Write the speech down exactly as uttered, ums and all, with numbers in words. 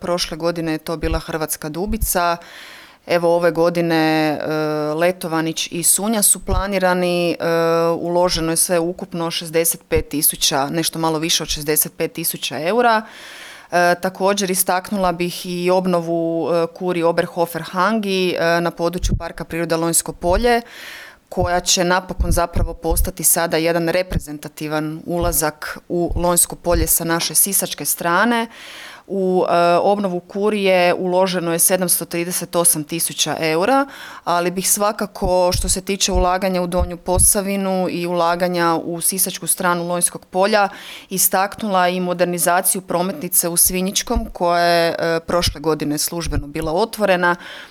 Prošle godine je to bila Hrvatska Dubica. Evo ove godine e, Letovanić i Sunja su planirani, e, uloženo je sve ukupno šezdeset pet tisuća, nešto malo više od šezdeset pet tisuća eura. E, također istaknula bih i obnovu e, Kuri Oberhofer Hangi e, na području Parka prirode Lonjsko polje, koja će napokon zapravo postati sada jedan reprezentativan ulazak u Lonjsko polje sa naše sisačke strane. U e, obnovu Kurije uloženo je sedamsto trideset osam tisuća eura, ali bih svakako što se tiče ulaganja u Donju Posavinu i ulaganja u sisačku stranu Lonjskog polja istaknula i modernizaciju prometnice u Svinjičkom koja je e, prošle godine službeno bila otvorena.